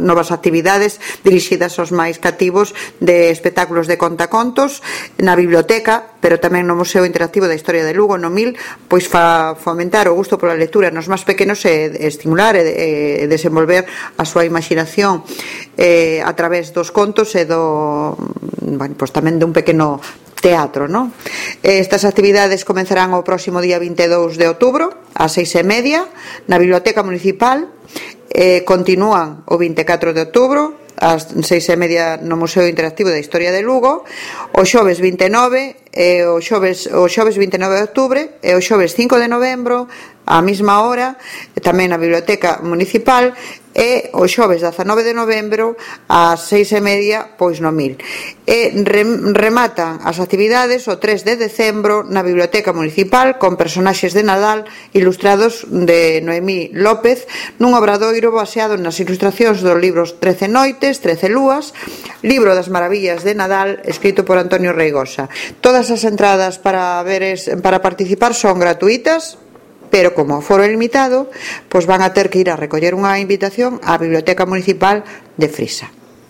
novas actividades dirixidas aos máis cativos de espectáculos de contacontos na biblioteca, pero tamén no Museo Interactivo da Historia de Lugo, no MIL, pois fomentar o gusto pola lectura nos máis pequenos e estimular e desenvolver a súa imaginación a través dos contos e pois tamén dun pequeno teatro, non? Estas actividades comenzarán o próximo día 22 de outubro ás 6:30 na Biblioteca Municipal, continúan o 24 de outubro ás 6:30 no Museo Interactivo da Historia de Lugo, o xoves 29 o xoves 29 de outubro e o xoves 5 de novembro á mesma hora tamén na Biblioteca Municipal, e o xoves 19 de novembro ás 6:30 pois no MIL, e rematan as actividades o 3 de decembro na Biblioteca Municipal con personaxes de Nadal ilustrados de Noemí López nun obradoiro baseado nas ilustracións dos libros 13 noites, 13 lúas, libro das maravillas de Nadal, escrito por Antonio Reigosa. Todas as entradas para participar son gratuitas, pero como o foro é limitado, pois van a ter que ir a recoller unha invitación á Biblioteca Municipal de Frisa.